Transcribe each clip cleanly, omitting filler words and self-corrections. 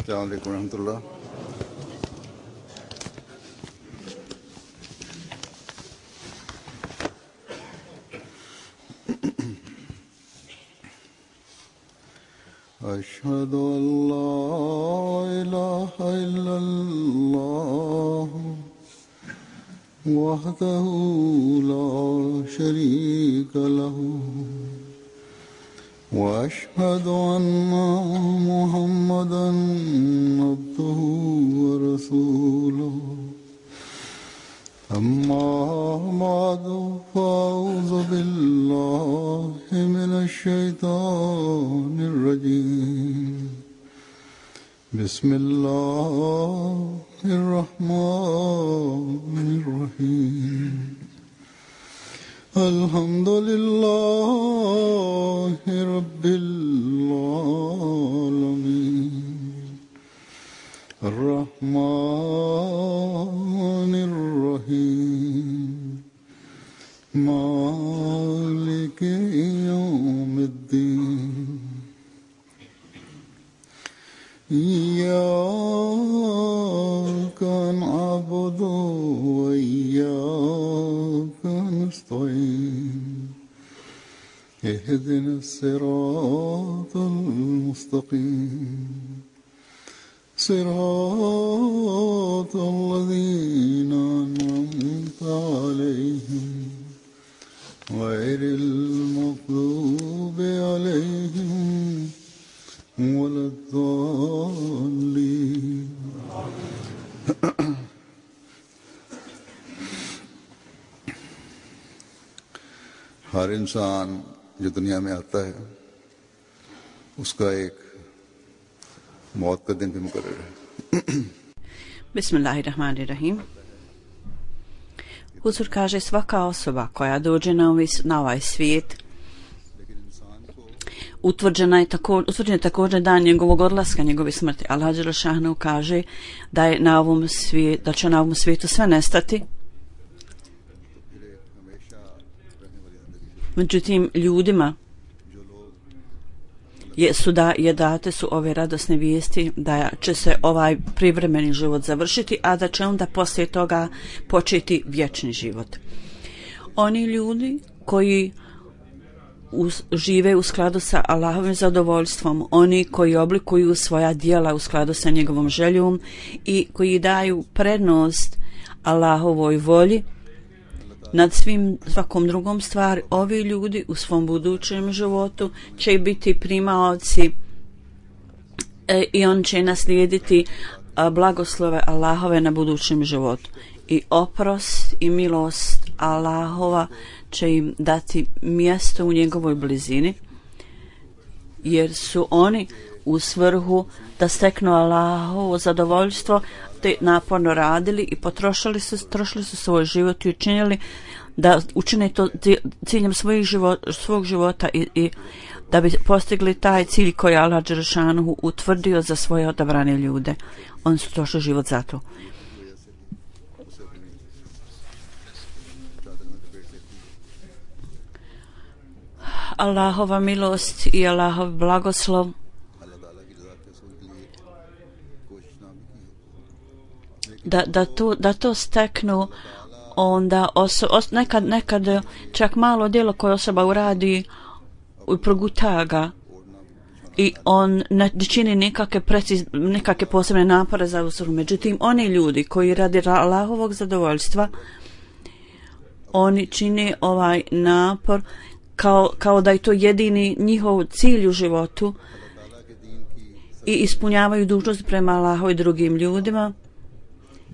अस्सलाम वालेकुम रहमतुल्लाह। अशहदु अल्ला इलाहा इल्लल्लाह वहदहु ला शरीका लहु वअशहदु अन्ना मुहम्मदन अब्दुहु व रसूलुहु अम्मा बअदु फ़अऊज़ु बिल्लाहि मिनश शैतानिर रजीम बिस्मिल्लाहिर रहमानिर रहीम अल्हम्दुलिल्लाहि रब्बिल आलमीन अर्रहमानिर रहीम मालिकि यौमिद्दीन इय्याका नअबुदु व इय्याका नस्तईन इहदिनस सिरातल मुस्तकीम सिरातल लज़ीना अनअमता अलैहिम गैरिल मग़्दूबि अलैहिम वलद्दाल्लीन। हर इंसान जो दुनिया में आता है उसका एक मौत का दिन भी मुकर्रर है। Bismillahirrahmanirrahim. Huzur kaže, svaka osoba koja dođe na ovaj svijet utvrđen je također dan njegovog odlaska, njegove smrti. Allah dželle šanehu kaže da je da će na ovom svijetu sve nestati. Međutim, ljudima date su ove radosne vijesti da će se ovaj privremeni život završiti, a da će onda poslije toga početi vječni život. Oni ljudi koji žive u skladu sa Allahovim zadovoljstvom, oni koji oblikuju svoja djela u skladu sa njegovom željom i koji daju prednost Allahovoj volji nad svakom drugom stvari, ovi ljudi u svom budućem životu će biti primaoci i on će naslijediti blagoslove Allahove na budućem životu. I oprost i milost Allahova će im dati mjesto u njegovoj blizini, jer su oni u svrhu da steknu Allahovo zadovoljstvo te naporno radili i trošili su svoj život i učinili da učine to ciljem svog života i da bi postigli taj cilj koji je Allah dželle šanehu utvrdio za svoje odabrane ljude. Oni su trošili život za to. Allahova milost i Allahov blagoslov da to steknu onda nekad čak malo djelo koje osoba uradi i proguta ga i on ne čini nekakve posebne napore za uslugu. Međutim, oni ljudi koji radi Allahovog zadovoljstva, oni čine ovaj napor kao da je to jedini njihov cilj u životu i ispunjavaju dužnost prema Allahu i drugim ljudima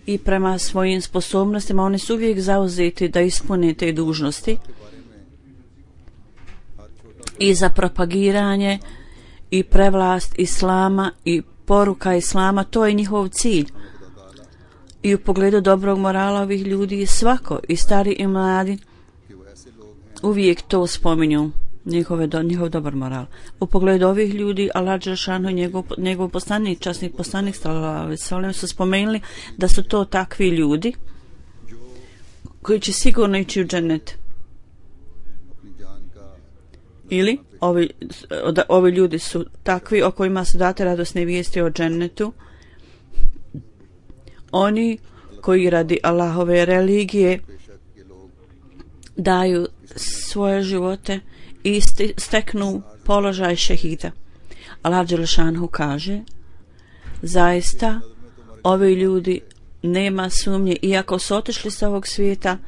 i prema svojim sposobnostima. Oni su uvijek zauzeti da ispune te dužnosti i za propagiranje i prevlast Islama i poruka Islama, to je njihov cilj. I u pogledu dobrog morala ovih ljudi i svako, i stari i mladi, uvijek to spominju, njihov dobar moral. U pogledu ovih ljudi, Allah dželle šanehu, njegov poslanik, časni poslanik sallallahu alejhi ve sellem su spomenuli da su to takvi ljudi koji će sigurno ići u džennet Ili ovi ljudi su takvi o kojima su date radosne vijesti o džennetu. Oni koji radi Allahove religije daju svoje živote i steknu položaj šehida. Allah dželešanhu kaže, zaista ovi ljudi, nema sumnje, iako su otišli sa ovog svijeta,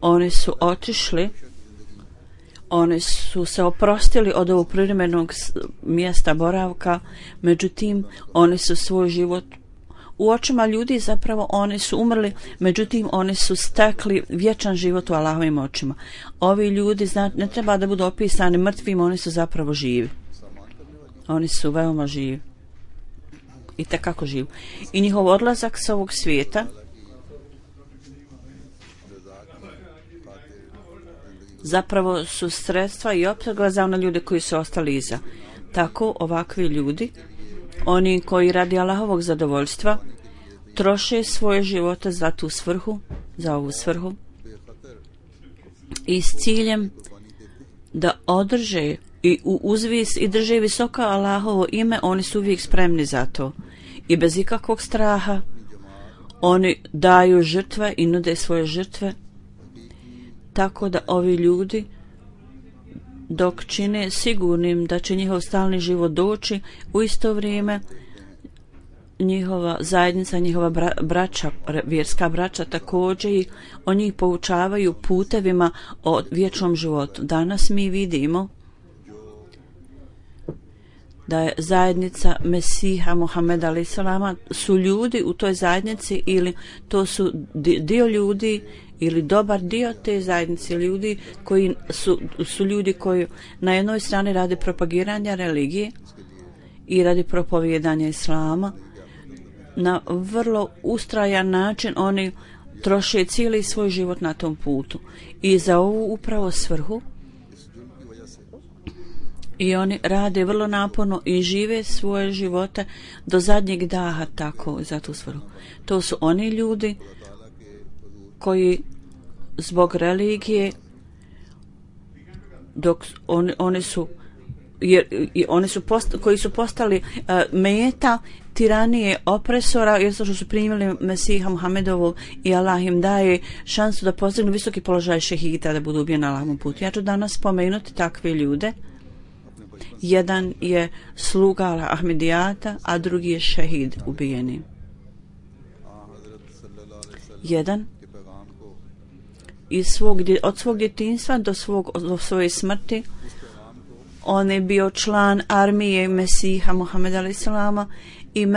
oni su otišli, oni su se oprostili od ovog privremenog mjesta boravka, međutim oni su svoj život u očima ljudi, zapravo oni su umrli, međutim oni su stekli vječan život u Allahovim očima. Ovi ljudi, ne treba da budu opisani mrtvim, oni su zapravo živi. Oni su veoma živi. I tekako živi. I njihov odlazak sa ovog svijeta zapravo su sredstva i opskrba za one ljude koji su ostali iza. Tako ovakvi ljudi, oni koji radi Allahovog zadovoljstva, troše svoje živote za tu svrhu, za ovu svrhu, i s ciljem da održe i uzvis i drže visoko Allahovo ime, oni su uvijek spremni za to. I bez ikakvog straha oni daju žrtve i nude svoje žrtve, tako da ovi ljudi, dok čine sigurnim da će njihov stalni život doći, u isto vrijeme njihova zajednica, njihova braća, vjerska braća također, i oni njih poučavaju putevima o vječnom životu. Danas mi vidimo da je zajednica Mesiha Muhameda alejhi selama, su ljudi u toj zajednici, ili to su dio ljudi ili dobar dio te zajednice ljudi koji su ljudi koji na jednoj strani radi propagiranja religije i radi propovijedanja islama. Na vrlo ustrajan način oni troše cijeli svoj život na tom putu i za ovu upravo svrhu, i oni rade vrlo naporno i žive svoje živote do zadnjeg daha tako za tu svrhu. To su oni ljudi koji zbog religije, dok oni su koji su postali meta tiranije opresora, jer što su primili Mesiha Muhammedovog i Allah im daje šansu da postignu visoki položaj šehida, da budu ubijeni na Allahovom putu. Ja ću danas spomenuti takve ljude. Jedan je sluga Ahmedijata, a drugi je šehid ubijeni. Jedan od svog djetinjstva do svoje smrti on je bio član armije Mesiha Muhammeda alejhi selama i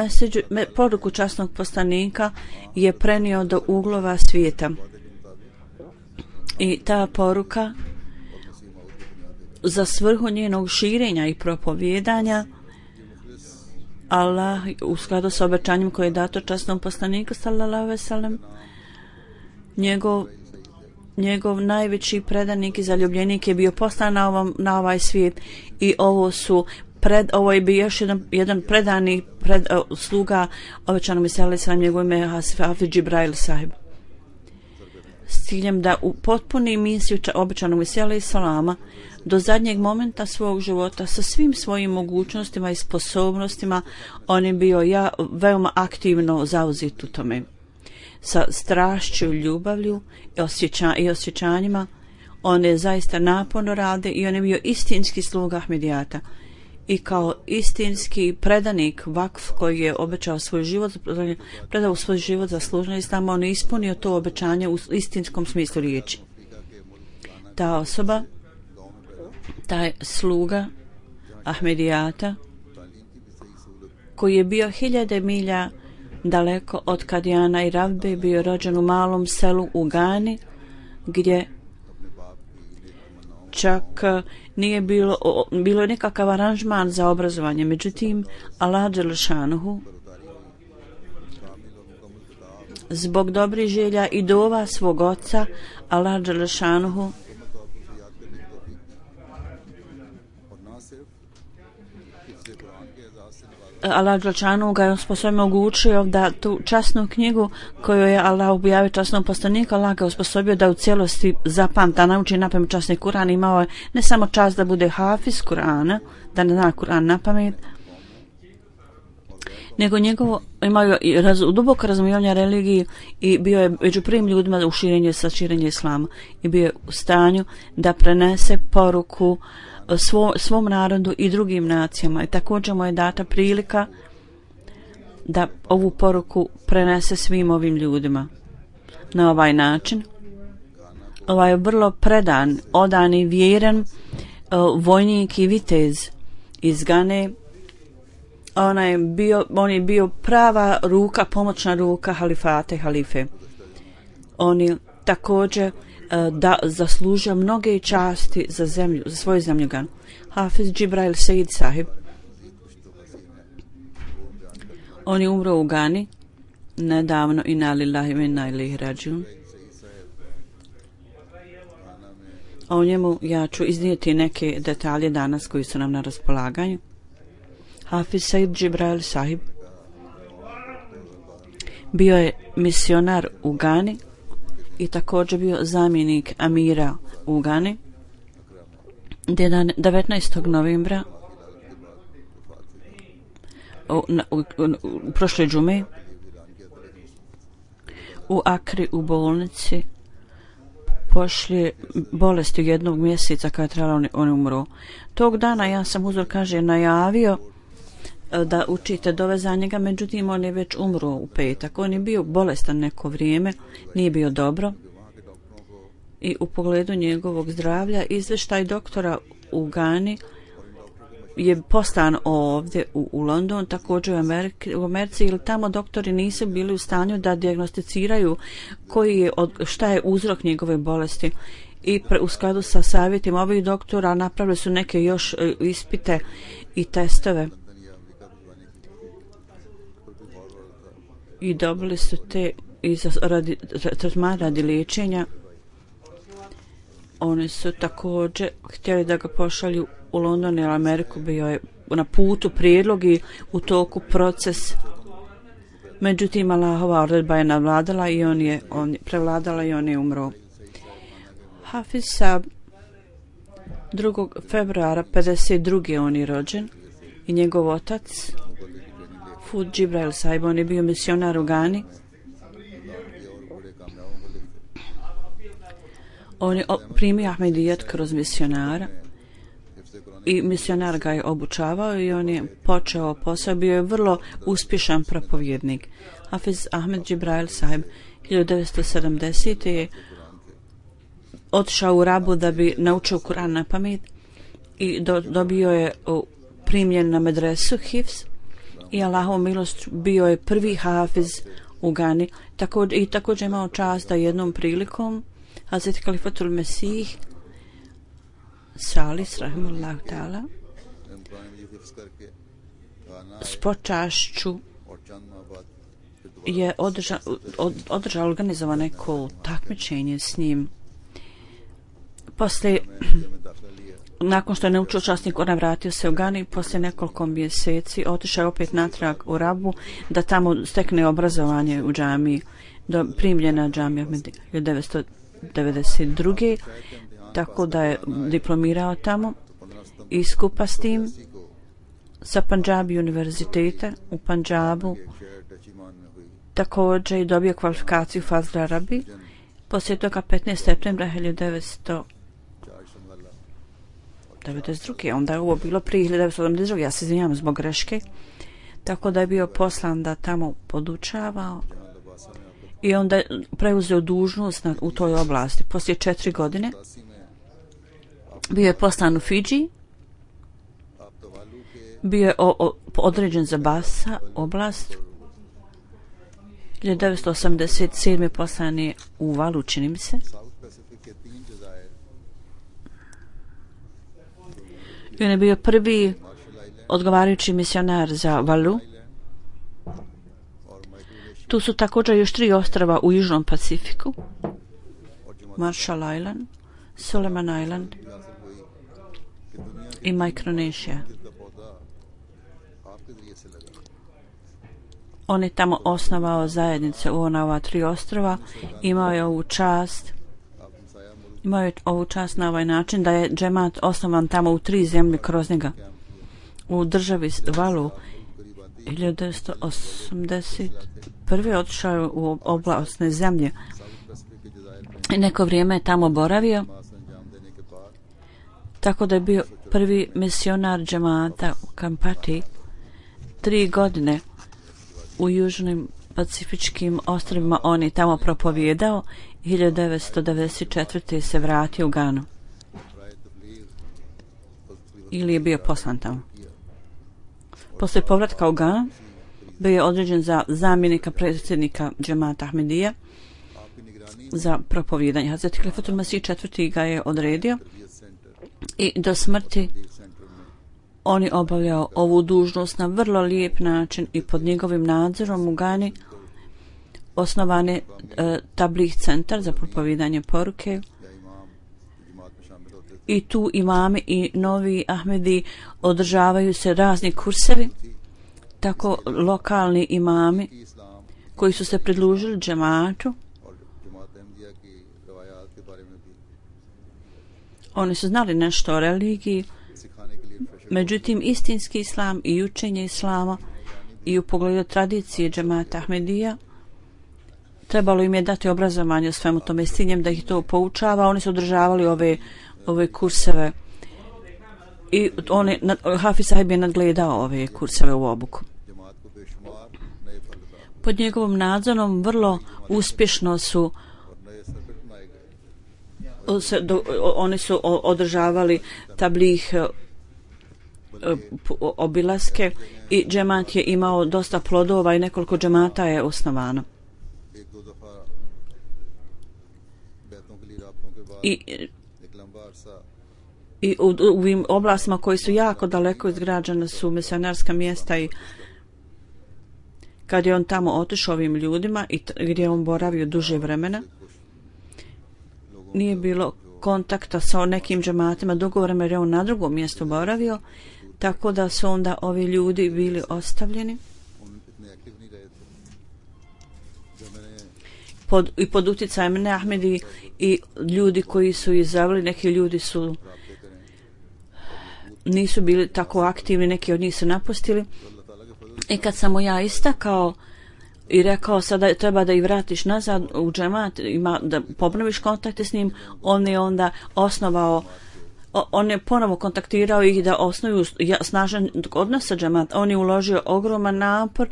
poruku časnog poslanika je prenio do uglova svijeta. I ta poruka za svrhu njenog širenja i propovijedanja, Allah u skladu s obećanjem koje je dato časnom poslaniku sallallahu alejhi ve sellem, njegov najveći predanik i zaljubljenik je bio poslan na ovaj svijet, i ovo je bio još jedan predani sluga obećanog Mesija alejhi selam, njegov ime je Hafiz Džibrail sahib, s ciljem da upotpuni misiju obećanog Mesija alejhi selama do zadnjeg momenta svog života sa svim svojim mogućnostima i sposobnostima. On je bio veoma aktivno zauzet u tome, sa strašću, ljubavlju i osjećanjima. On je zaista naporno rade i on je bio istinski sluga Ahmedijata, i kao istinski predanik vakf koji je obećao svoj život, predao svoj život za služenje islama, on je ispunio to obećanje u istinskom smislu riječi. Ta osoba, taj sluga Ahmedijata, koji je bio 1000 milja daleko od Kadijana i Ravbe, bio rođen u malom selu u Gani, gdje čak nije bilo nekakav aranžman za obrazovanje. Međutim, Allah dželešanuhu zbog dobrih želja i dova svog oca, Allah dželešanuhu Allah Đelešanu ga je osposobio, omogućio da tu časnu knjigu koju je Allah objavio časnom poslaniku, Allah ga je osposobio da u cijelosti zapamta, nauči napamet časni Kur'an. Imao je ne samo čast da bude hafiz Kur'ana, da ne zna Kur'an napamet, nego njegovo imao je duboko razumijevanje religiji i bio je među prvim ljudima u širenje islama i bio je u stanju da prenese poruku svom narodu i drugim nacijama, i također mu je data prilika da ovu poruku prenese svim ovim ljudima. Na ovaj način ovaj je vrlo predan, odan i vjeran vojnik i vitez iz Gane. On je bio prava ruka, pomoćna ruka halife. On je također da zaslužio mnoge časti za zemlju, za svoju zemlju Ganu. Hafiz Džibrail Sejid Sahib, on je umro u Gani nedavno, inna lillahi wa inna ilaihi rađiun. O njemu ja ću iznijeti neke detalje danas koji su nam na raspolaganju. Hafiz Sejid Džibrail Sahib bio je misionar u Gani i također bio zamjenik amira u Gani. 19. novembra u prošle džume u Akri u bolnici pošli bolesti jednog mjeseca kada je trebalo on umro. Tog dana ja sam uzor najavio da učite dove za njega, međutim on je već umro u petak. On je bio bolestan neko vrijeme, nije bio dobro i u pogledu njegovog zdravlja izvještaj doktora u Gani je poslan ovdje u London, također u Americi, ili tamo doktori nisu bili u stanju da dijagnosticiraju šta je uzrok njegove bolesti. I u skladu sa savjetima ovih doktora napravili su neke još ispite i testove i dobili su te radi liječenja. Oni su također htjeli da ga pošalju u London ili Ameriku, bio je na putu prijedlog i u toku proces. Međutim, Allahova odredba je navladala i on je prevladala i on je umro. Hafiz Sab 2. februara 52. on je rođen i njegov otac Fud Džibrail Sahib, on je bio misionar u Gani. On je primio Ahmedijet kroz misionara i misionar ga je obučavao i on je počeo posao, bio je vrlo uspješan propovjednik. Hafiz Ahmed Džibrail Sahib 1970. je otišao u Rabu da bi naučio Kur'an na pamet i dobio je primljen na medresu Hifz i Allahovu milost bio je prvi hafiz u Gani. Također imao čast da jednom prilikom Hazreti Kalifatul Mesih Salis rahimahullah ta'ala s počašću je održao organizovano neko takmičenje s njim. Poslije, nakon što je naučio časni Kur'an, vratio se u Gani, poslije nekoliko mjeseci otišao je opet natrag u Rabu da tamo stekne obrazovanje u džamiji, primljena džamija 1992. Tako da je diplomirao tamo i skupa s tim sa Pandžabi univerziteta u Pandžabu također je dobio kvalifikaciju Fazl Arabi. Poslije toga 15. septembra 1992. Onda je ovo bilo prije 1972. Ja se izvinjam zbog greške. Tako da je bio poslan da tamo podučavao i onda je preuzeo dužnost u toj oblasti. Poslije 4 godine bio je poslan u Fidži, bio je određen za Basa oblast. 1987. poslan je u Valu, čini mi se. I on je bio prvi odgovarajući misionar za Valu. Tu su također još 3 ostrava u Južnom Pacifiku: Marshall Island, Solomon Island i Micronesia. On je tamo osnovao zajednice u ova 3 ostrva, imao je ovu čast na ovaj način da je džemat osnovan tamo u 3 zemlje kroz njega. U državi Valu 1981. otišao je u oblastne zemlje i neko vrijeme je tamo boravio, tako da je bio prvi misionar džemata u Kampati 3 godine u južnim pacifičkim ostrvima. On je tamo propovijedao. 1994. se vratio u Ganu ili je bio poslan tamo. Poslije povratka u Ganu bio je određen za zamjenika predsjednika džemata Ahmedija za propovijedanje. Hazreti Khalifatul Masih IV. Ga je odredio i do smrti on je obavljao ovu dužnost na vrlo lijep način i pod njegovim nadzorom u Gani osnovan je Tabligh centar za propovijedanje poruke i tu imami i novi Ahmedi održavaju se razni kursevi, tako lokalni imami koji su se pridružili džematu. Oni su znali nešto o religiji, međutim istinski islam i učenje islama i u pogledu tradicije džemata Ahmedija trebalo im je dati obrazovanje o svemu tome s ciljem da ih to poučava. Oni su održavali ove kurseve i Hafiz sahib je nadgledao ove kurseve u obuku. Pod njegovom nadzorom vrlo uspješno su oni su održavali tabligh obilaske i džemat je imao dosta plodova i nekoliko džemata je osnovano. I u ovim oblastima koji su jako daleko izgrađene su misionarska mjesta i kad je on tamo otišao ovim ljudima i gdje on boravio duže vremena, nije bilo kontakta sa nekim džematima dugo vremena jer je on na drugom mjestu boravio, tako da su onda ovi ljudi bili ostavljeni pod utjecajem ne Ahmedi i ljudi koji su izabrali. Neki ljudi nisu bili tako aktivni, neki od njih su napustili. I kad sam mu ja istakao i rekao sada treba da ih vratiš nazad u džemat, da popraviš kontakte s njim, on je onda osnovao, on je ponovo kontaktirao ih da osnuju snažan odnos sa džemat. On je uložio ogroman napor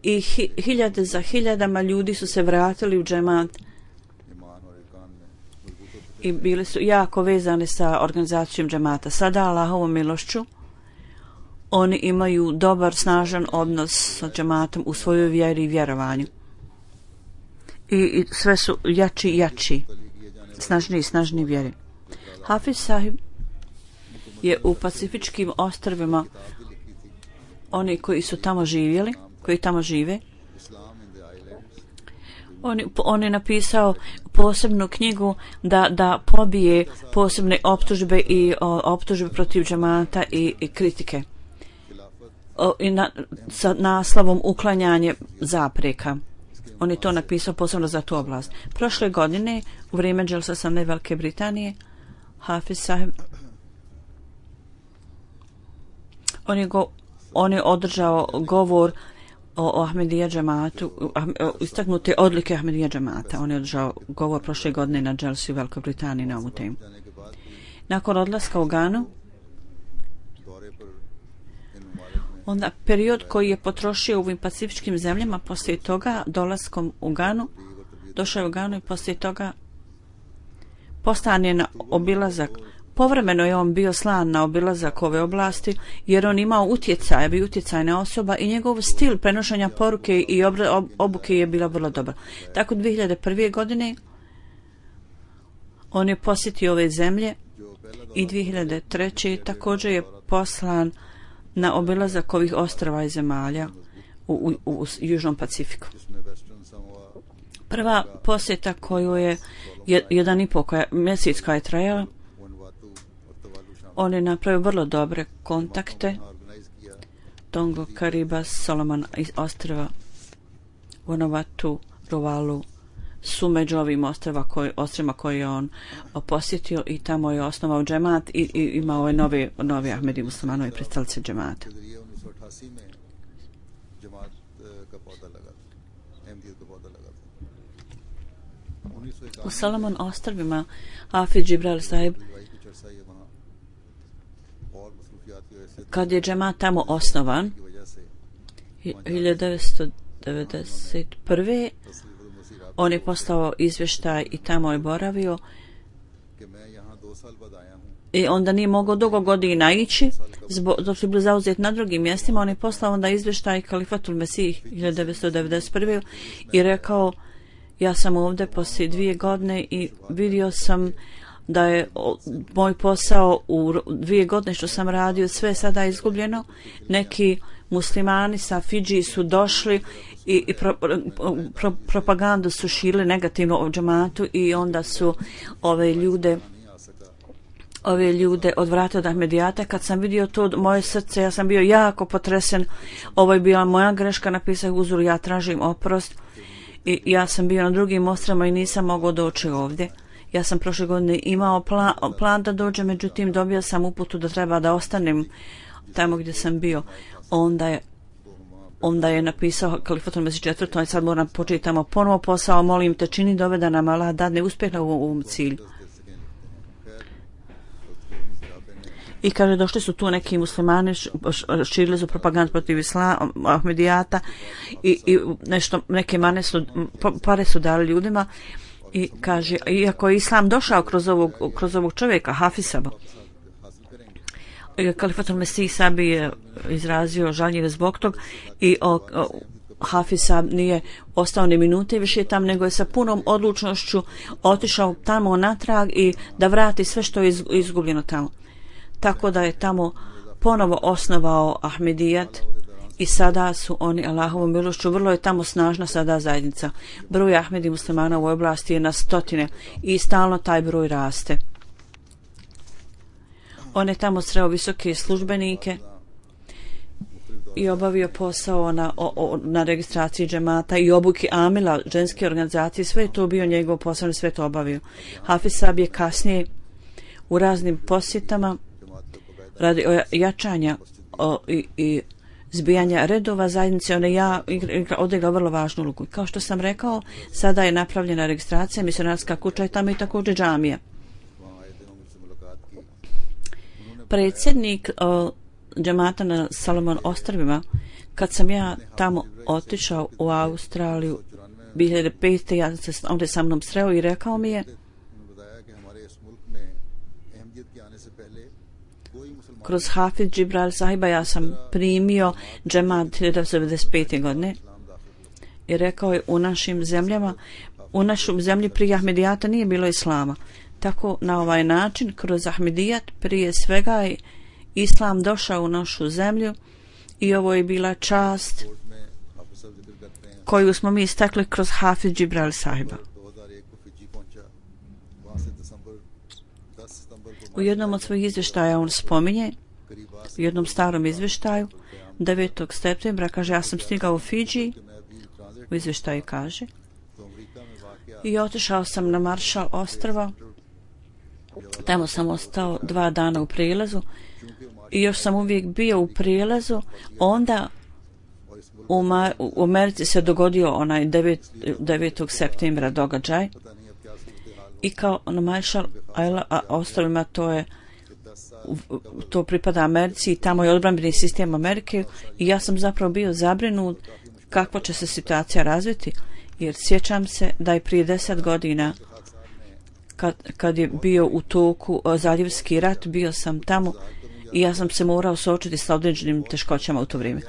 i hiljade za hiljadama ljudi su se vratili u džemat i bili su jako vezani sa organizacijom džemata. Sada Allahovom milošću oni imaju dobar, snažan odnos sa džematom u svojoj vjeri i vjerovanju. I sve su jači i jači, snažniji i snažniji vjeri. Hafiz sahib je u pacifičkim ostrvima, oni koji su tamo živjeli, koji tamo žive, on je napisao posebnu knjigu da pobije posebne optužbe i optužbe protiv džemata i kritike. Sa naslovom uklanjanje zapreka. On je to napisao posebno za tu oblast. Prošle godine u vrijeme dželsa Sane Velike Britanije Hafiz sahib on je održao govor o Ahmedija džematu, istaknute odlike Ahmedija džemata. On je održao govor prošle godine na dželsi u Velikoj Britaniji na ovu temu. Nakon odlaska u Ganu, onda period koji je potrošio u ovim pacifičkim zemljama, poslije toga dolaskom u Ganu, došao je u Ganu i poslije toga poslan je na obilazak. Povremeno je on bio slan na obilazak ove oblasti jer on imao utjecaj, bio utjecajna osoba i njegov stil prenošenja poruke i obuke je bila vrlo dobra. Tako 2001. godine on je posjetio ove zemlje i 2003. također je poslan na obilazak ovih ostrva i zemalja u Južnom Pacifiku. Prva posjeta koju je 1,5 mjesec koja je trajala, on je napravio vrlo dobre kontakte Tongo, Karibas, Solomon iz ostrva, Vanuatu, Tuvalu su među ovim ostrima koje je on posjetio i tamo je osnovao džemat i imao je novi Ahmedi muslimanovi pristalice džemata. U Solomon ostrvima Hafiz Džibril sahib, kad je džemat tamo osnovan 1991. on je poslao izvještaj i tamo je boravio i onda nije mogao dugo godina ići dok su bili zauzeti na drugim mjestima. On je poslao onda izvještaj Kalifatul Mesih 1991. i rekao, ja sam ovdje poslije 2 godine i vidio sam da je moj posao u 2 godine što sam radio sve sada izgubljeno. Neki muslimani sa Fidži su došli i propagandu su širili negativno o džematu i onda su ove ljude odvratili od Ahmedijata. Kad sam vidio to, moje srce, ja sam bio jako potresen. Ovo je bila moja greška, napisao uzor, ja tražim oprost. I ja sam bio na drugim ostrvima i nisam mogao doći ovdje. Ja sam prošle godine imao plan da dođem, međutim dobio sam uputu da treba da ostanem tamo gdje sam bio. Onda je napisao Kalifatul Mesih IV. Sad moram početi tamo ponovo posao, molim te čini doveda nam Allah dadne uspjeh na ovom cilju. I kaže, došli su tu neki muslimani, širili su propagandu protiv islama, Ahmedijata i neke pare su dali ljudima i kaže, iako je islam došao kroz ovog čovjeka, Hafisa, Kalifatul Mesih sabi je izrazio žaljenje zbog tog i Hafisa nije ostao ni minute više tam, nego je sa punom odlučnošću otišao tamo natrag i da vrati sve što je izgubljeno tamo. Tako da je tamo ponovo osnovao Ahmedijat i sada su oni Allahovom milošću, vrlo je tamo snažna sada zajednica. Broj Ahmedi muslimana u ovoj oblasti je na 100 i stalno taj broj raste. On je tamo sreo visoke službenike i obavio posao na registraciji džemata i obuki amila, ženske organizacije, sve je to bio njegov posao, sve to obavio. Hafiz Sahib je kasnije u raznim posjetama radi jačanja i zbijanja redova zajednice, on je odigrao vrlo važnu ulogu. Kao što sam rekao, sada je napravljena registracija, misionarska kuća i tamo i također džamija. Predsjednik džemata na Solomon ostrvima, kad sam ja tamo otišao u Australiju 2005. on je sa mnom sreo i rekao mi je, kroz Hafiz Džibril sahiba ja sam primio džemat 1995. godine i rekao je, u našoj zemlji prije Ahmedijata nije bilo islama. Tako na ovaj način kroz Ahmedijat prije svega je islam došao u našu zemlju i ovo je bila čast koju smo mi istakli kroz Hafiz Džibril sahiba. U jednom od svojih izvještaja on spominje, u jednom starom izvještaju 9. septembra, kaže, ja sam stigao u Fidži, u izvještaju kaže, i otišao sam na Maršal ostrva, tamo sam ostao 2 dana u prijelazu i još sam uvijek bio u prijelazu. Onda u Americi se dogodio onaj 9. septembra događaj i kao na Maršal ostrovima to pripada Americi i tamo je odbrambeni sistem Amerike i ja sam zapravo bio zabrinut kakva će se situacija razviti, jer sjećam se da je prije 10 godina kad je bio u toku zaljevski rat, bio sam tamo i ja sam se morao suočiti sa određenim teškoćama u to vrijeme.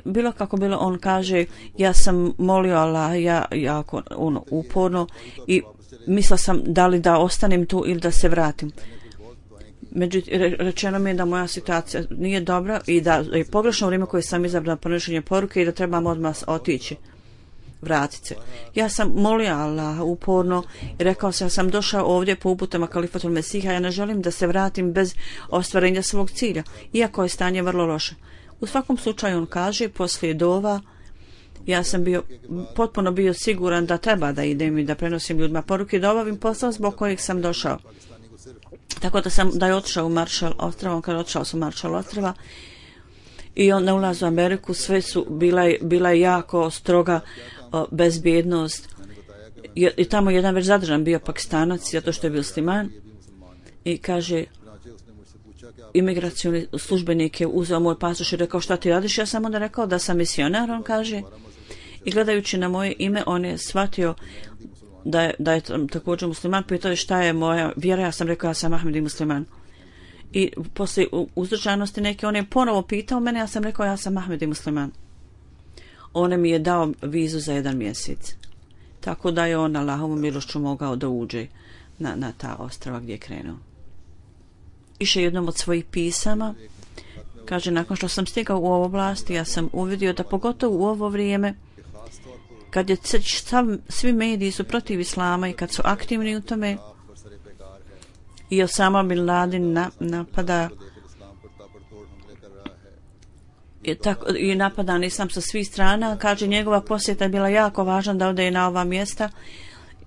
Bilo kako bilo, on kaže, ja sam molio Allah jako uporno i mislila sam da li da ostanem tu ili da se vratim. Međutim, rečeno mi je da moja situacija nije dobra i da je pogrešno vrijeme koje sam izabrala prenošenje poruke i da trebam odmah otići, vratiti se. Ja sam molio Allah uporno i rekao sam, ja sam došao ovdje po uputama Kalifatul Mesiha, ja ne želim da se vratim bez ostvarenja svog cilja, iako je stanje vrlo loše. U svakom slučaju on kaže, poslije dova, ja sam potpuno bio siguran da treba da idem i da prenosim ljudima poruke, da obavim posao zbog kojeg sam došao. Tako da je otišao u Marshall ostrva, kada otišao su Marshall ostrva i on na ulazu u Ameriku, sve su bila je jako stroga bezbjednost. I tamo jedan već zadržan bio Pakistanac, zato što je bio musliman, i kaže, imigracioni službenik je uzeo moj pasoš i rekao, šta ti radiš? Ja sam onda rekao da sam misionar, on kaže, i gledajući na moje ime, on je shvatio da je također musliman. Pitao je šta je moja vjera, ja sam rekao, ja sam Ahmedi musliman. I poslije uzdržanosti neke, on je ponovo pitao mene, ja sam rekao, ja sam Ahmedi musliman. On mi je dao vizu za 1 mjesec. Tako da je on Allahovom milošću mogao da uđe na ta ostrava gdje je krenuo. Piše jednom od svojih pisama, kaže, nakon što sam stigao u ovu oblast, ja sam uvidio da pogotovo u ovo vrijeme, kad je svi mediji su protiv islama i kad su aktivni u tome, i Osama bin Laden napada i napadan islam sa svih strana, kaže, njegova posjeta je bila jako važna da ode na ova mjesta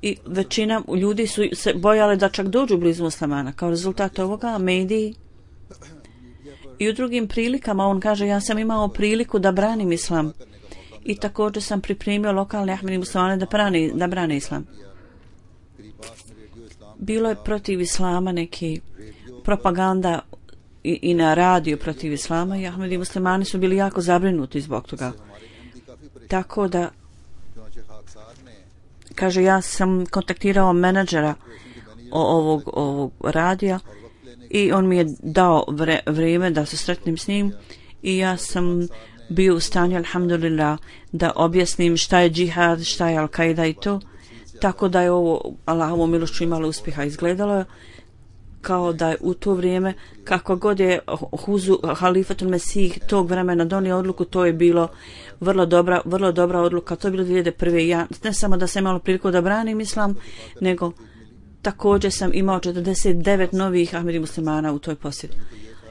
i većina ljudi su se bojali da čak dođu blizu muslimana. Kao rezultat ovoga, mediji i u drugim prilikama, on kaže, ja sam imao priliku da branim islam i također sam pripremio lokalne Ahmedi muslimane da brane islam. Bilo je protiv islama neki propaganda i na radio protiv islama i Ahmedi muslimani su bili jako zabrinuti zbog toga. Tako da, kaže, ja sam kontaktirao menadžera ovog radija i on mi je dao vrijeme da se sretnem s njim i ja sam bio u stanju, alhamdulillah, da objasnim šta je džihad, šta je Al-Qaida i to. Tako da je ovo Allahovom milošću imalo uspjeha. Izgledalo kao da je u to vrijeme, kako god je halifatul Mesih tog vremena donio odluku, to je bilo vrlo dobra odluka. To je bilo 2001. Ja ne samo da sam imala priliku da branim islam, nego također sam imao 49 novih Ahmedi muslimana u toj posjeti.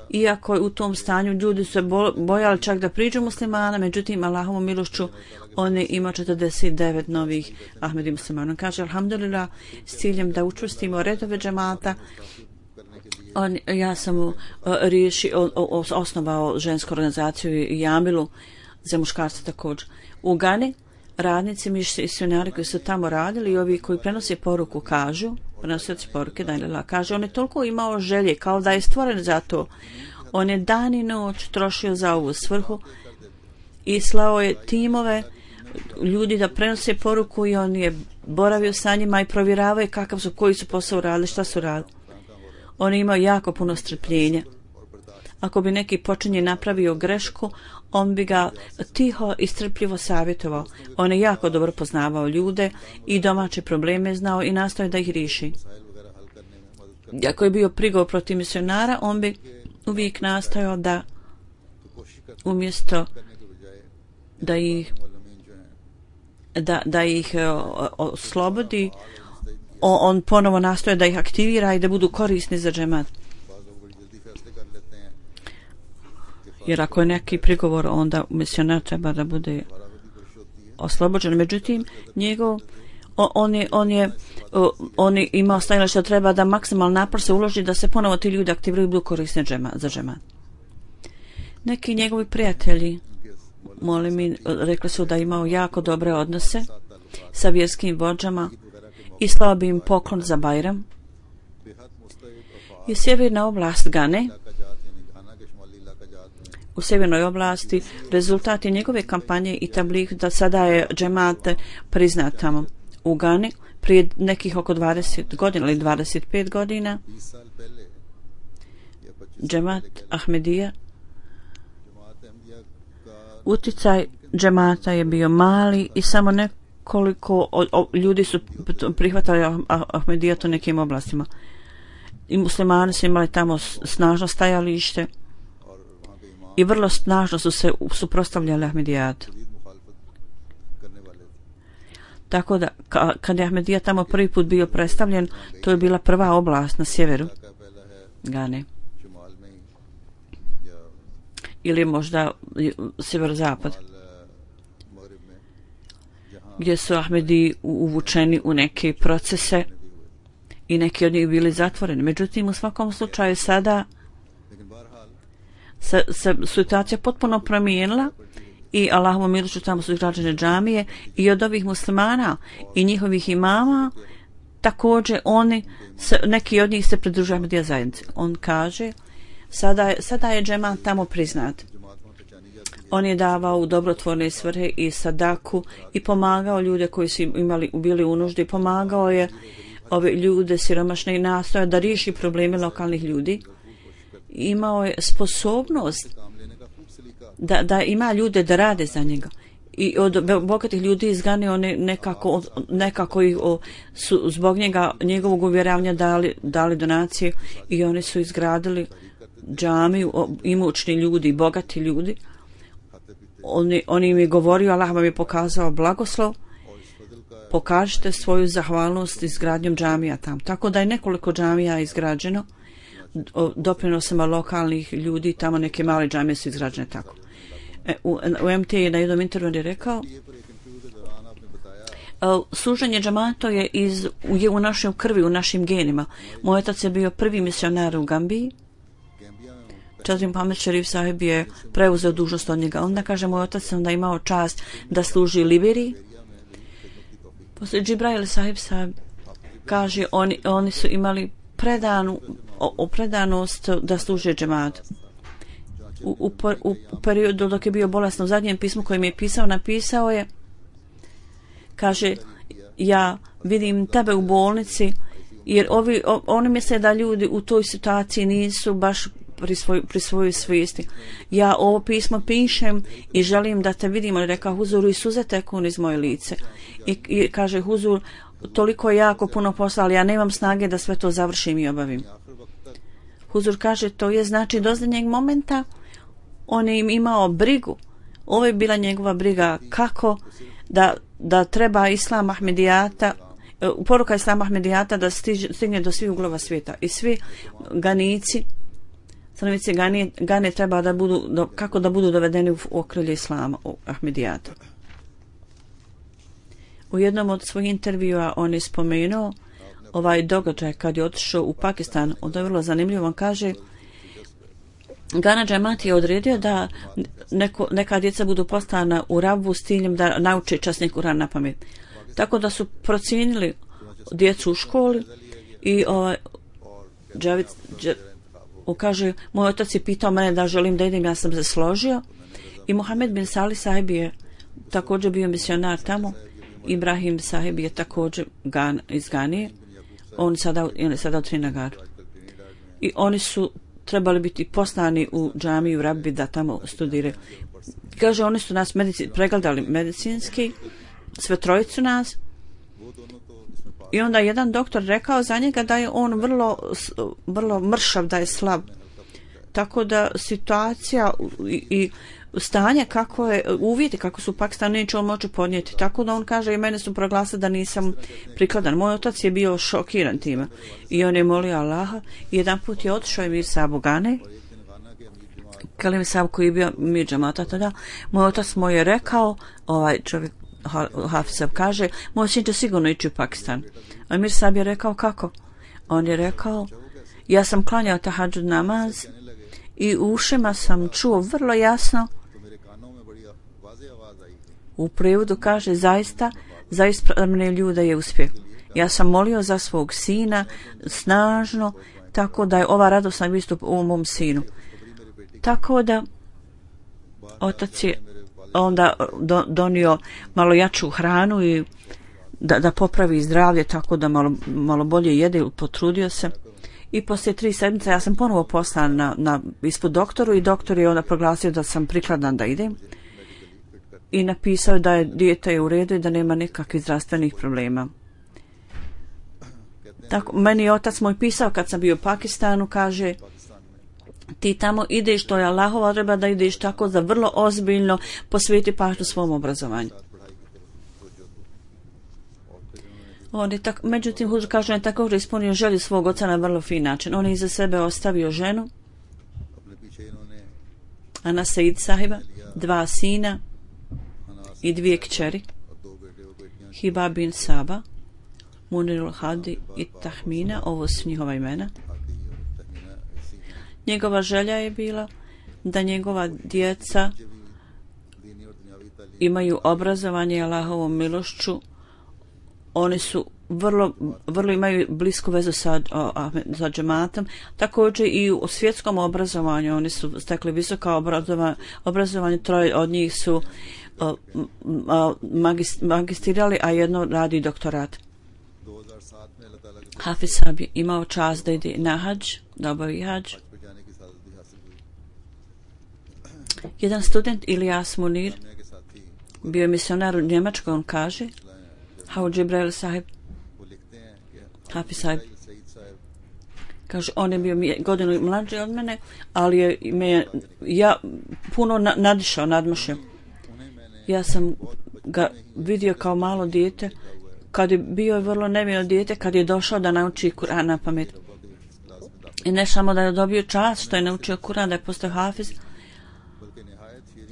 Iako je u tom stanju ljudi su se bojali čak da priđu muslimana, međutim Allahovom milošću on je imao 49 novih Ahmedi muslimana. Kaže, alhamdulillah, s ciljem da učvrstimo redove džemata, ja sam osnovao žensku organizaciju i Jamilu za muškarce također. U Gani radnici, misionari koji su tamo radili i ovi koji prenose poruku kažu, prenosioci poruke, kaže, on je toliko imao želje, kao da je stvoren za to. On je dan i noć trošio za ovu svrhu i slao je timove ljudi da prenose poruku i on je boravio sa njima i provjeravao koji su posao radili, šta su radili. On je imao jako puno strpljenja. Ako bi neki počinje napravio grešku, on bi ga tiho i strpljivo savjetovao. On je jako dobro poznavao ljude i domaće probleme znao i nastojao da ih riješi. Ako je bio prigovor protiv misionara, on bi uvijek nastojao da umjesto da ih oslobodi, on ponovo nastoje da ih aktivira i da budu korisni za džemat. Jer ako je neki prigovor, onda misionar treba da bude oslobođen. Međutim, on je imao stajalište da treba da maksimalno napor se uloži da se ponovo ti ljudi aktiviraju i budu korisni za džemat. Neki njegovi prijatelji, rekli su da imao jako dobre odnose sa vjerskim vođama i slao bi im poklon za Bajram. I sjeverna oblast Gane, u sjevernoj oblasti, rezultat je njegove kampanje i tabligh da sada je džemat priznat tamo u Gani. Prije nekih oko 20 godina ili 25 godina džemat Ahmedija, uticaj džemata je bio mali i samo nekoliko ljudi su prihvatali Ahmedijat u nekim oblastima. I muslimani su imali tamo snažno stajalište i vrlo snažno su se suprotstavljali Ahmedijatu. Tako da, kad je Ahmedija tamo prvi put bio predstavljen, to je bila prva oblast na sjeveru Gane. ili možda sjeverozapad, gdje su Ahmedi uvučeni u neke procese i neki od njih bili zatvoreni. Međutim, u svakom slučaju sada se situacija potpuno promijenila i Allahovom milošću tamo su izgrađene džamije i od ovih muslimana i njihovih imama također neki od njih se pridružuju Ahmadija zajednici. On kaže sada je džemat tamo priznat. On je davao u dobrotvorne svrhe i sadaku i pomagao ljude koji su bili u nuždi, pomagao je ove ljude siromašne i nastoja da riješi probleme lokalnih ljudi. Imao je sposobnost da ima ljude da rade za njega. I od bogatih ljudi izgane one nekako ih su zbog njegovog uvjeravanja dali donacije i oni su izgradili džamiju, imućni ljudi, bogati ljudi. On im je govorio, Allah vam je pokazao blagoslov, pokažite svoju zahvalnost izgradnjom džamija tamo. Tako da je nekoliko džamija izgrađeno doprinosima lokalnih ljudi, tamo neke male džamije su izgrađene tako. U MT je na jednom intervju rekao služenje džamata je u našoj krvi, u našim genima. Moj otac je bio prvi misionar u Gambiji. Čazim Mohamed Šerif sahib je preuzeo dužnost od njega. Onda kaže, moj otac onda imao čast da služi Liberiji. Poslije Džibrail sahib kaže, oni su imali predanost da služe džematu. U periodu dok je bio bolestan, u zadnjem pismu kojem je napisao je, kaže, ja vidim tebe u bolnici, jer oni misle da ljudi u toj situaciji nisu baš pri svojoj svijesti. Ja ovo pismo pišem i želim da te vidim, ali rekao Huzuru i suze teku iz moje lice. I kaže Huzur, toliko jako puno posla, ali ja nemam snage da sve to završim i obavim. Huzur kaže, to je znači do zadnjeg momenta on je imao brigu. Ovo je bila njegova briga kako da treba Islam Ahmedijata, poruka Islama Ahmedijata da stigne do svih uglova svijeta. I svi ganici, stanovnici Gane treba da budu, kako da budu dovedeni u okrilje Islama Ahmedijata. U jednom od svojih intervjua on je spomenuo ovaj događaj kad je otišao u Pakistan. Onda je vrlo zanimljivo. On kaže, Gana džemat je odredio da neka djeca budu poslana u Rabu s ciljem da nauče časni Kuran na pamet. Tako da su procijenili djecu u školi i Džavid kaže, moj otac je pitao mene da želim da idem, ja sam se složio. I Mohamed bin Salih sahib je također bio misionar tamo. Ibrahim sahib je također iz Ganije. On je sada u Trinagaru. I oni su trebali biti poslani u džamiju Rabbi da tamo studiraju. Kaže, oni su nas pregledali medicinski, sve trojicu nas. I onda jedan doktor rekao za njega da je on vrlo mršav, da je slab. Tako da situacija i stanje kako je, uvjeti kako su u Pakistanu neće on moći podnijeti. Tako da on kaže, i mene su proglasili da nisam prikladan. Moj otac je bio šokiran time. I on je molio Allaha. I jedan put je otišao Emir Sahib u Gane. Kalim Sahib koji je bio mir džamata tada. Moj otac mu je rekao, ovaj čovjek Hafiz Sahib kaže, moj sin će sigurno ići u Pakistan. A Emir Sahib je rekao, kako? On je rekao, ja sam klanjao tahadžud namaz i u ušima sam čuo vrlo jasno. U prijevodu kaže, zaista mene ljuda je uspjeh. Ja sam molio za svog sina snažno, tako da je ova radosna vistup u mom sinu. Tako da otac je onda donio malo jaču hranu i da popravi zdravlje, tako da malo bolje jede, potrudio se. I poslije 3 sedmice ja sam ponovo poslan na ispod doktoru i doktor je onda proglasio da sam prikladan da idem. I napisao da je dijete je u redu i da nema nikakvih zdravstvenih problema. Tako, meni je otac moj pisao kad sam bio u Pakistanu, kaže, ti tamo ideš, to je Allahova odredba da ideš tako da vrlo ozbiljno posveti pažnju svom obrazovanju. Međutim, Huzur kaže, on je također ispunio želju svog oca na vrlo fin način. On je iza sebe ostavio ženu Ana Said sahiba, 2 sina i 2 kćeri, Hiba bin Saba, Munirul Hadi i Tahmina, ovo su njihova imena. Njegova želja je bila da njegova djeca imaju obrazovanje Allahovom milošću. Oni su vrlo imaju blisku vezu sa džematom. Također i u svjetskom obrazovanju oni su stekli visoko obrazovanje. 3 od njih su magistrirali, a jedno radi doktorat. Hafiz Sahib je imao čast da ide na hadž, da obavi hadž. Jedan student, Ilyas Munir, bio je misionar u Njemačkoj. On kaže, Haud Jibril Sahib, Hafiz Sahib, kaže, on je bio godinu mlađi od mene, ali je puno nadmašio. Ja sam ga vidio kao malo dijete, kad je bio vrlo nevino dijete, kad je došao da nauči Kur'an na pamet. I ne samo da je dobio čast što je naučio Kur'an, da je postao hafiz,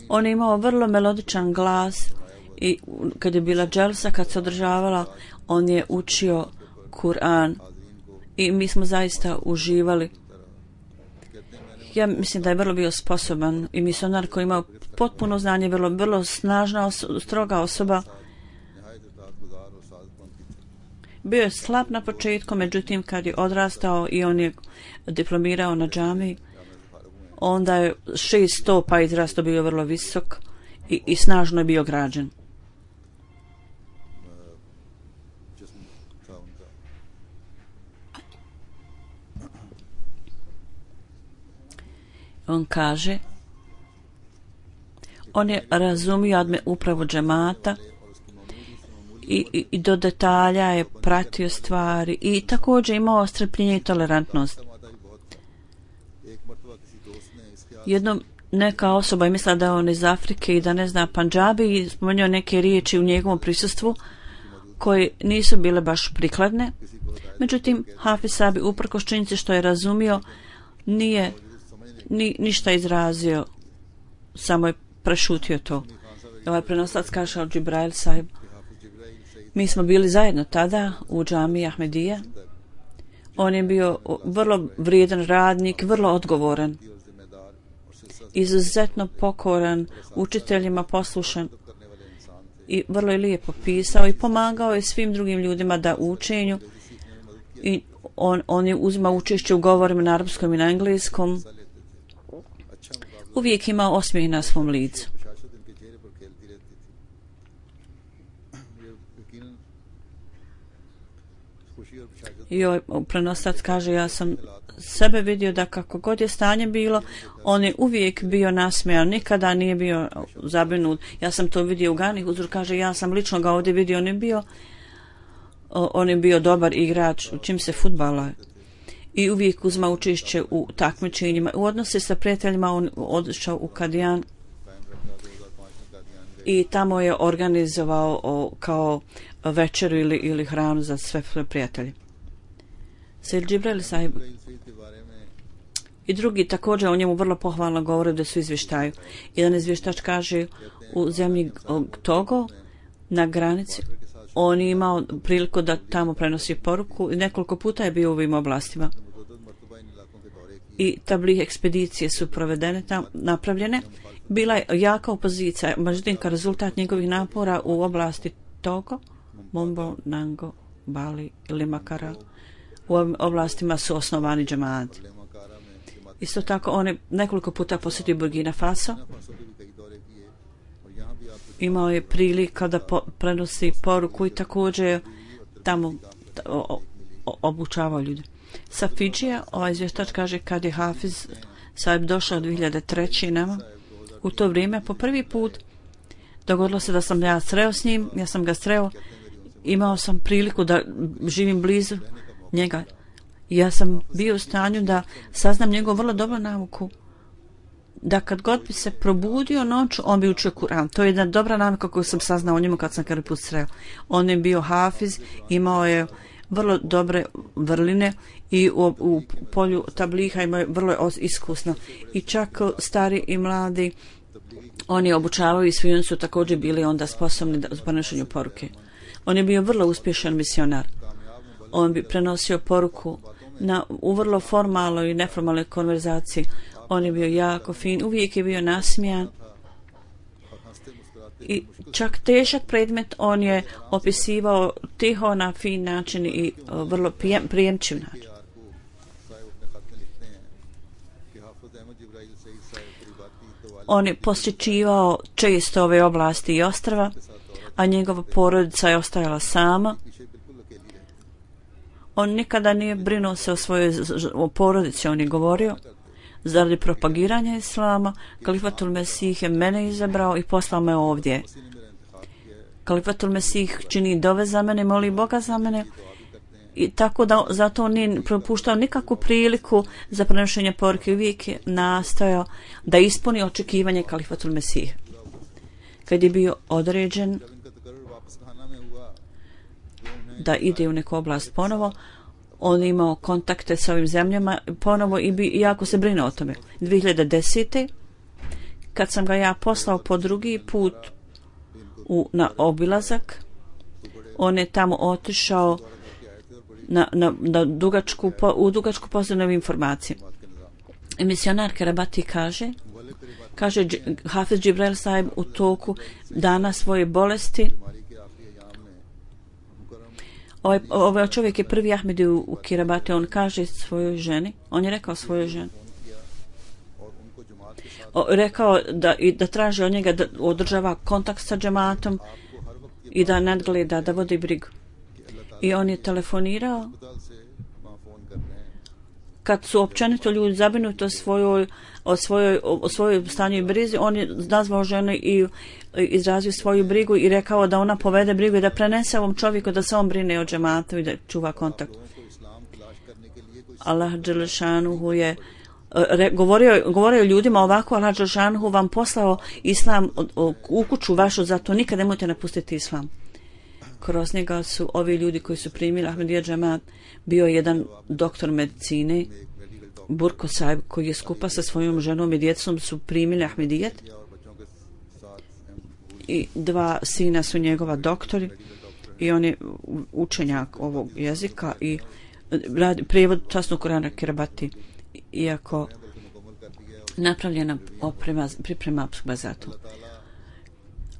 on je imao vrlo melodičan glas i kad je bila dželsa, kad se održavala, on je učio Kur'an i mi smo zaista uživali. Ja mislim da je vrlo bio sposoban i misionar koji imao potpuno znanje, vrlo snažna, stroga osoba. Bio je slab na početku, međutim kad je odrastao i on je diplomirao na džamiji, onda je 600 pa izrastao, bio vrlo visok i snažno je bio građen. On kaže, on je razumio upravu džemata i do detalja je pratio stvari i također imao strpljenje i tolerantnost. Jednom neka osoba je mislila da je on iz Afrike i da ne zna Pandžabi i spomenuo neke riječi u njegovom prisustvu koje nisu bile baš prikladne. Međutim, Hafiz Sahib uprkos činjenici što je razumio nije ništa izrazio, samo je prešutio to. Ovaj prenoslac kaže od Džibrail Sahib, mi smo bili zajedno tada u džamiji Ahmedija. On je bio vrlo vrijedan radnik, vrlo odgovoran, izuzetno pokoran, učiteljima poslušan i vrlo je lijepo pisao i pomagao je svim drugim ljudima da učenju i on je uzimao učešće u govorima na arapskom i na engleskom. Uvijek imao osmijeh na svom licu. I prenoslac kaže, ja sam sebe vidio da kako god je stanje bilo, on je uvijek bio nasmejan, nikada nije bio zabrinut. Ja sam to vidio u Gani, Huzur kaže, ja sam lično ga ovdje vidio, on je bio dobar igrač, čim se fudbala i uvijek uzma učešće u takmičenjima. U odnose sa prijateljima on odšao u Kadijan i tamo je organizovao kao večeru ili hranu za sve prijatelje. Sayyid Džibrail Sahib i drugi također o njemu vrlo pohvalno govore da su izvještaju. Jedan izvještač kaže, u zemlji Togo na granici on je imao priliku da tamo prenosi poruku i nekoliko puta je bio u ovim oblastima. I tablih ekspedicije su napravljene. Bila je jaka opozicija, međutim kao rezultat njegovih napora u oblasti Togo, Mombo, Nango, Bali ili Makara, u ovim oblastima su osnovani džemati. Isto tako on je nekoliko puta posjetio Burkina Faso. Imao je prilika da prenosi poruku i također tamo obučavao ljude. Sa Fidžija, ovaj izvještač kaže, kad je Hafiz Sahib došao 2003. nama, u to vrijeme po prvi put dogodilo se da sam ja sreo s njim, ja sam ga sreo, imao sam priliku da živim blizu njega. Ja sam bio u stanju da saznam njegovu vrlo dobru nauku, da kad god bi se probudio noću, on bi učio Kur'an. To je jedna dobra navika koju sam saznao o njemu kad sam prvi put sreo. On je bio hafiz, imao je vrlo dobre vrline i u polju tabliha imaju vrlo iskusno. I čak stari i mladi, oni obučavaju i svi oni su također bili onda sposobni u prenošenju poruke. On je bio vrlo uspješan misionar. On bi prenosio poruku u vrlo formalnoj i neformalnoj konverzaciji. On je bio jako fin, uvijek je bio nasmijan i čak težak predmet on je opisivao tiho na fin način i vrlo prijemčiv način. On je posjećivao često ove oblasti i ostrva, a njegova porodica je ostajala sama. On nikada nije brinuo se o porodici, on je govorio, zaradi propagiranja islama, Kalifatul Mesih je mene izabrao i poslao me ovdje. Kalifatul Mesih čini dove za mene, moli Boga za mene, i tako da zato nije propuštao nikakvu priliku za prenošenje poruke, uvijek je nastojao da ispuni očekivanje Kalifatul Mesih. Kad je bio određen da ide u neku oblast ponovo, on je imao kontakte sa ovim zemljama ponovo i jako se brine o tome. 2010. kad sam ga ja poslao po drugi put na obilazak, on je tamo otišao u dugačku pozdravnu informaciju. I misionar Kerabati kaže Hafiz Džibril Sahib u toku dana svoje bolesti. Ovaj čovjek je prvi Ahmedi u Kirabati, on kaže svojoj ženi, on je rekao svojoj ženi, rekao da traži od njega da održava kontakt sa džematom i da nadgleda, da vodi brigu. I on je telefonirao kad su općenito ljudi zabrinuti o svojoj stanju i brizi, on je nazvao ženu i izrazio svoju brigu i rekao da ona povede brigu i da prenese ovom čovjeku da se on brine o džematu i da čuva kontakt. Allah dželešanuhu je govorio ljudima ovako, Allah dželešanuhu vam poslao islam u kuću vašu, zato nikad nemojte napustiti islam. Kroz njega su ovi ljudi koji su primili Ahmedija džemat, bio jedan doktor medicine, Burko Sahib, koji je skupa sa svojom ženom i djecom su primili Ahmedijet i dva sina su njegova doktori i on je učenjak ovog jezika i radi prijevod časnog Kurana Kirabati, iako napravljena priprema za to.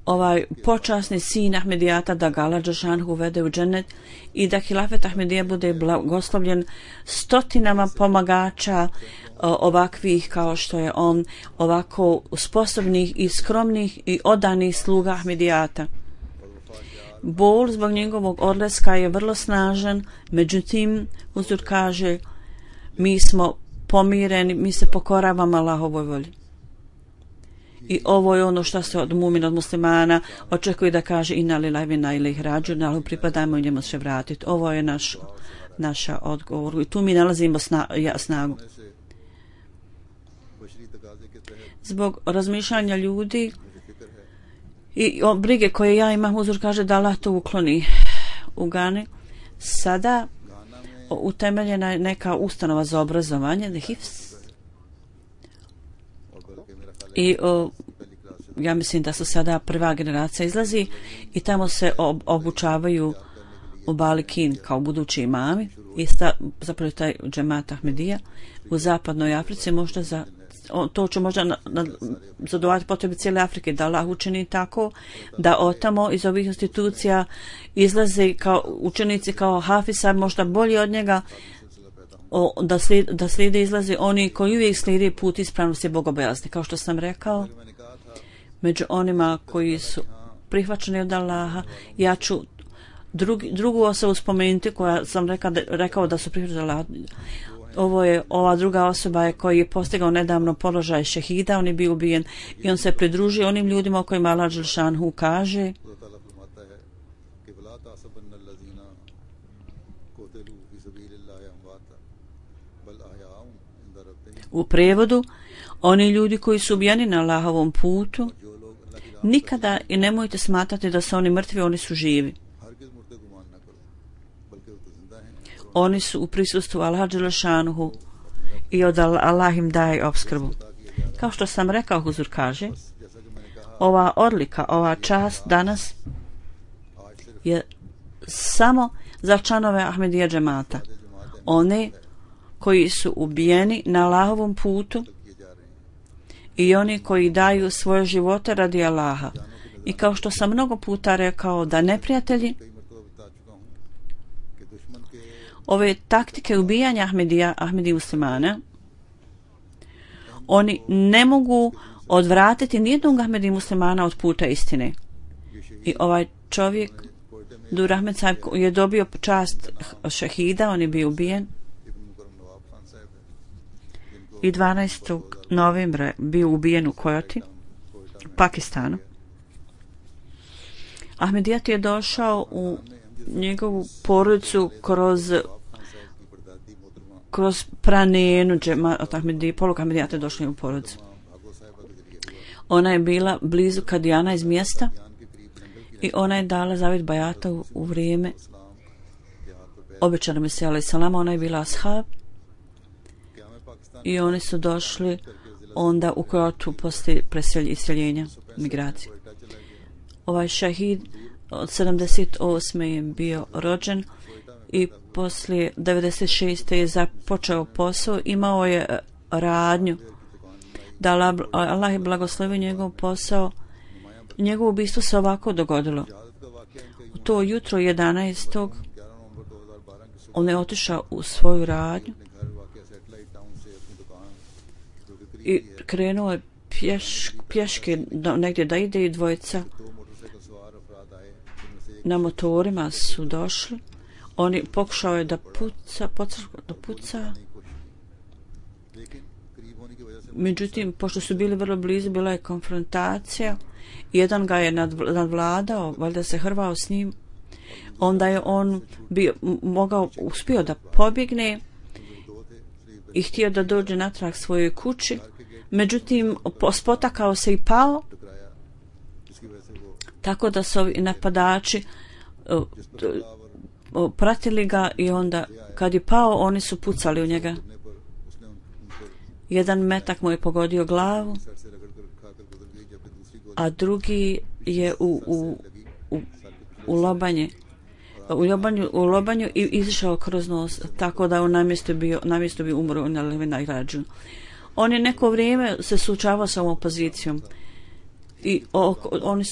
Ovaj počasni sin Ahmedijata da ga Allah dželešanuhu uvede u džennet i da hilafet Ahmedija bude blagoslovljen stotinama pomagača ovakvih kao što je on, ovako sposobnih i skromnih i odanih sluga Ahmedijata. Bol zbog njegovog odlaska je vrlo snažan, međutim Huzur kaže mi smo pomireni, mi se pokoravamo Allahovoj volji. I ovo je ono što se od mumina, od muslimana očekuje da kaže inna lillahi wa inna ilaihi rađiun, ali pripadamo i njemu se vratiti. Ovo je naša odgovor i tu mi nalazimo snagu. Zbog razmišljanja ljudi i brige koje ja imam, Huzur kaže da Allah to ukloni u Gani. Sada utemeljena je neka ustanova za obrazovanje, the HIFS. I ja mislim da su sada prva generacija izlazi i tamo se obučavaju u Balikin kao budući imami i zapravo taj džemat Ahmedija u zapadnoj Africi možda to će možda zadovoljati potrebe cijele Afrike, da Allah učini tako da otamo iz ovih institucija izlaze kao učenici kao Hafisa, možda bolji od njega, da slijede izlaze oni koji uvijek slijede put ispravnosti bogobojazni. Kao što sam rekao, među onima koji su prihvaćeni od Allaha, ja ću drugu osobu spomenuti koja sam rekao da su prihvaćeni od Allaha. Ova druga osoba koji je postigao nedavno položaj šehida, on je bio ubijen i on se pridružio onim ljudima o kojima Allah dželešanuhu kaže u prevodu, oni ljudi koji su ubijeni na Allahovom putu, nikada i nemojte smatrati da su oni mrtvi, oni su živi. Oni su u prisustvu Allaha dželešanuhu i od Allah im daje opskrbu. Kao što sam rekao, Huzur kaže, ova odlika, ova čast danas je samo za članove Ahmedija džemata. One koji su ubijeni na Allahovom putu i oni koji daju svoje živote radi Allaha. I kao što sam mnogo puta rekao da neprijatelji ove taktike ubijanja Ahmedi muslimana, oni ne mogu odvratiti nijednog Ahmedi muslimana od puta istine. I ovaj čovjek Dur Ahmed Sahib je dobio čast šehida, on je bio ubijen i 12. novembra bio ubijen u Kojoti, Pakistanu. Ahmedijat je došao u njegovu porodicu kroz pranenu polog Ahmedijata je došla u porodicu. Ona je bila blizu Kadijana iz mjesta i ona je dala zavjet bajata u vrijeme obećanog Mesija alejhi selam. Ona je bila ashab i oni su došli onda u Kojotu poslije iseljenja, migracije. Ovaj šahid od 78. je bio rođen i poslije 96. je započeo posao, imao je radnju da Allah je blagoslovio njegov posao. Njegovo ubistvo se ovako dogodilo. U to jutro 11. on je otišao u svoju radnju i krenuo je pješke negdje da ide i dvojica na motorima su došli. Oni pokušao je da puca. Međutim, pošto su bili vrlo blizu, bila je konfrontacija. Jedan ga je nadvladao, valjda se hrvao s njim. Onda je on uspio da pobjegne i htio da dođe natrag svojoj kući. Međutim, spotakao se i pao, tako da su ovi napadači pratili ga i onda kad je pao, oni su pucali u njega. Jedan metak mu je pogodio glavu, a drugi je u lobanju i izišao kroz nos, tako da on na mjestu bi umro na Levinajrađu. On je neko vrijeme se suočavao sa ovom opozicijom i oni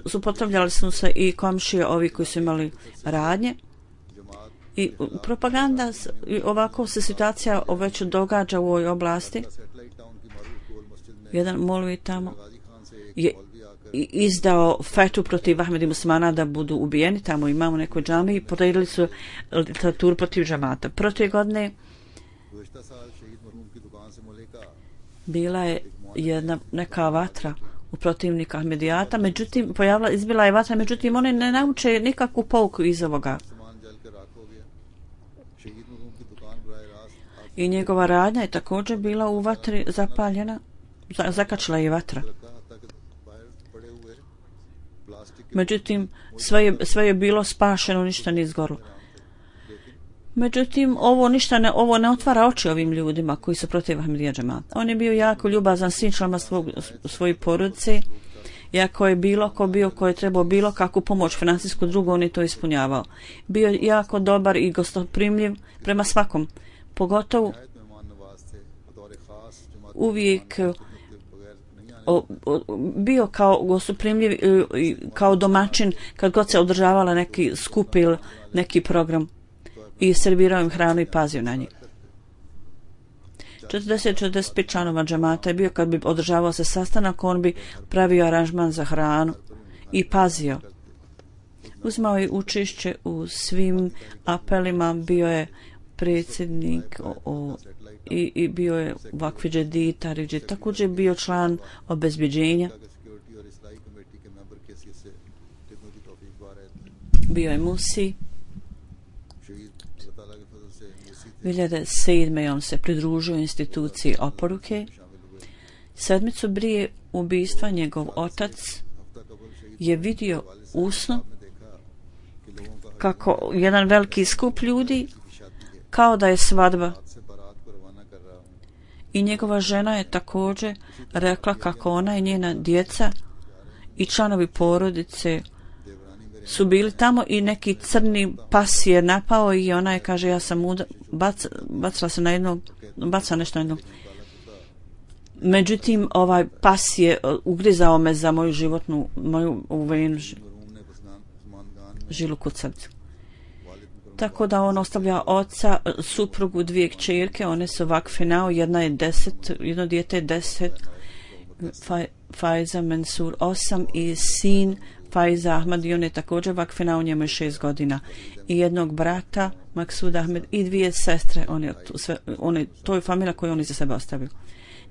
suprotstavljali su se i komšije ovi koji su imali radnje i propaganda, ovako se situacija već događa u ovoj oblasti. Jedan molvi tamo je izdao fetu protiv Ahmedi muslimana da budu ubijeni, tamo imamo nekoj džami i poredili su literaturu protiv džamata. Protiv godine bila je neka vatra u protivnika Ahmedijata, međutim izbila je vatra, međutim oni ne nauče nikakvu pouku iz ovoga. I njegova radnja je također bila u vatri zapaljena, zakačila je vatra. Međutim, sve je bilo spašeno, ništa nije izgorilo. Međutim, ovo ne otvara oči ovim ljudima koji su protiv Ahmedija džemata. On je bio jako ljubazan svim članima svoje porodice. Iako je bilo ko bio koji je trebao bilo kakvu pomoć financijsku drugu, on je to ispunjavao. Bio je jako dobar i gostoprimljiv prema svakom. Pogotovo uvijek bio kao gostoprimljiv kao domaćin kad god se održavala neki skup ili neki program i servirao im hranu i pazio na njih. 40-45 članova džamata je bio kad bi održavao se sastanak, on bi pravio aranžman za hranu i pazio. Uzmao je učešće u svim apelima, bio je predsjednik i bio je vakfi džedid, također je bio član obezbjeđenja. Bio je musi. 2007. on se pridružio instituciji oporuke. Sedmicu prije ubistva njegov otac je vidio usno kako jedan veliki skup ljudi, kao da je svadba. I njegova žena je također rekla kako ona i njena djeca i članovi porodice su bili tamo i neki crni pas je napao i ona je, kaže, ja sam bacila se na jednog, bacila nešto na jednog. Međutim, ovaj pas je ugrizao me za moju životnu, moju uvejenu žilu kod srca. Tako da on ostavlja oca, suprugu, 2 kćerke, one su vakfinao, jedno dijete je 10, Faiza Mansur 8 i sin Faiza Ahmad, i on je također vakfinao, njemu je 6 godina. I jednog brata, Maksud Ahmed, i 2 sestre, to je familija koju on iza sebe ostavio.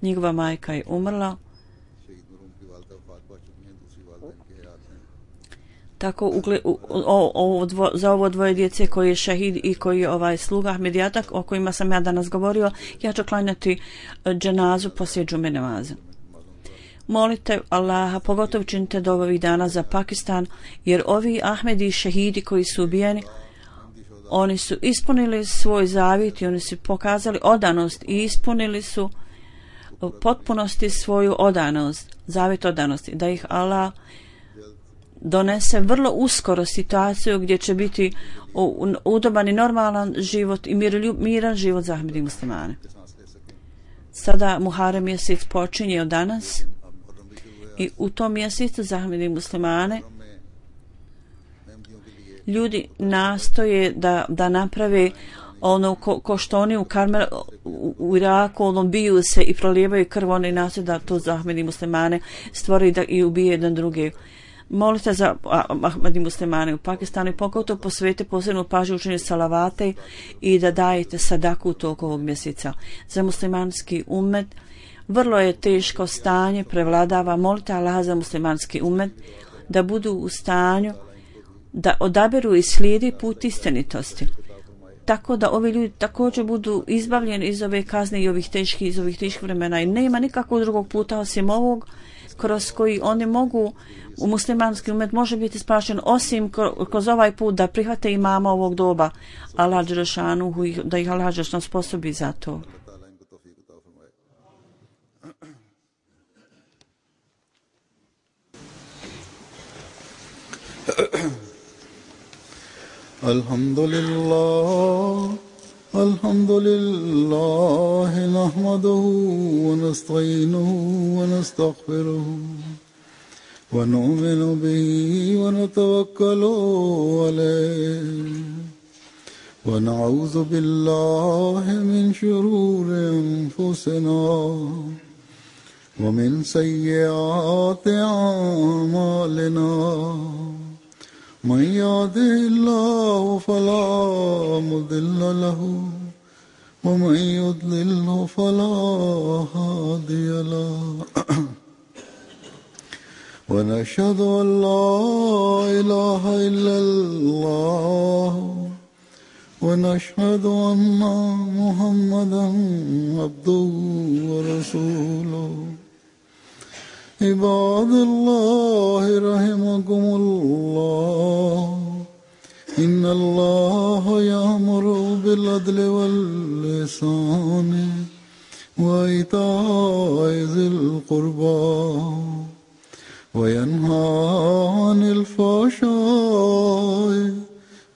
Njegova majka je umrla. Tako za ovo 2 djece koji je šehid i koji je sluga Ahmedijata, o kojima sam ja danas govorio, ja ću klanjati dženazu poslije džume namaza. Molite Allaha, pogotovo činite do ovih dana za Pakistan, jer ovi Ahmedi šehidi koji su ubijeni, oni su ispunili svoj zavjet i oni su pokazali odanost i ispunili su u potpunosti svoju odanost, zavjet odanosti, da ih Allah donese vrlo uskoro situaciju gdje će biti udoban i normalan život i miran život za Ahmedi muslimane. Sada Muharem mjesec počinje od danas i u tom mjesecu za Ahmedi muslimane ljudi nastoje da naprave ono ko što oni u Karmel u Iraku biju se i prolijevaju krv, oni nastoje da to za Ahmedi muslimane stvori i ubije jedan drugi. Molite za Ahmedi muslimane u Pakistanu i pogotovo posvete posebnu pažnju učenju salavate i da dajete sadaku u toku ovog mjeseca. Za muslimanski umet vrlo je teško stanje, prevladava. Molite Allaha za muslimanski umet da budu u stanju da odaberu i slijedi put istinitosti. Tako da ovi ljudi također budu izbavljeni iz ove kazne i iz ovih teških vremena. I nema nikakvog drugog puta osim ovog kroz koji oni mogu, u muslimanski umet može biti spašen osim kroz ovaj put da prihvate imama ovog doba. Allah dželešanu, da ih Allah dželešanu sposobi za to. Alhamdulillah, nahmaduhu wa nasta'inuhu wa nastaghfiruhu wa nu'minu bihi wa natawakkalu alayhi wa na'udhu billahi min shururi anfusina wa min sayyiati a'malina. من يهده الله فلا مضل له ومن يضلل فلا هادي له ونشهد أن لا إله إلا الله ونشهد أن محمدا عبده ورسوله. عباد الله رحمكم الله إن الله يأمر بالعدل والإحسان وإيتاء ذي القربى وينهى عن الفحشاء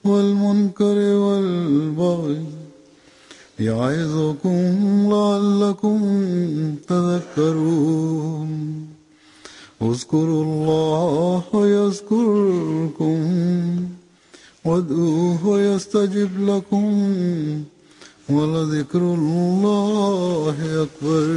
والمنكر والبغي يعظكم لعلكم تذكرون. اذكروا الله يذكركم وادعوه يستجب لكم ولذكر الله أكبر.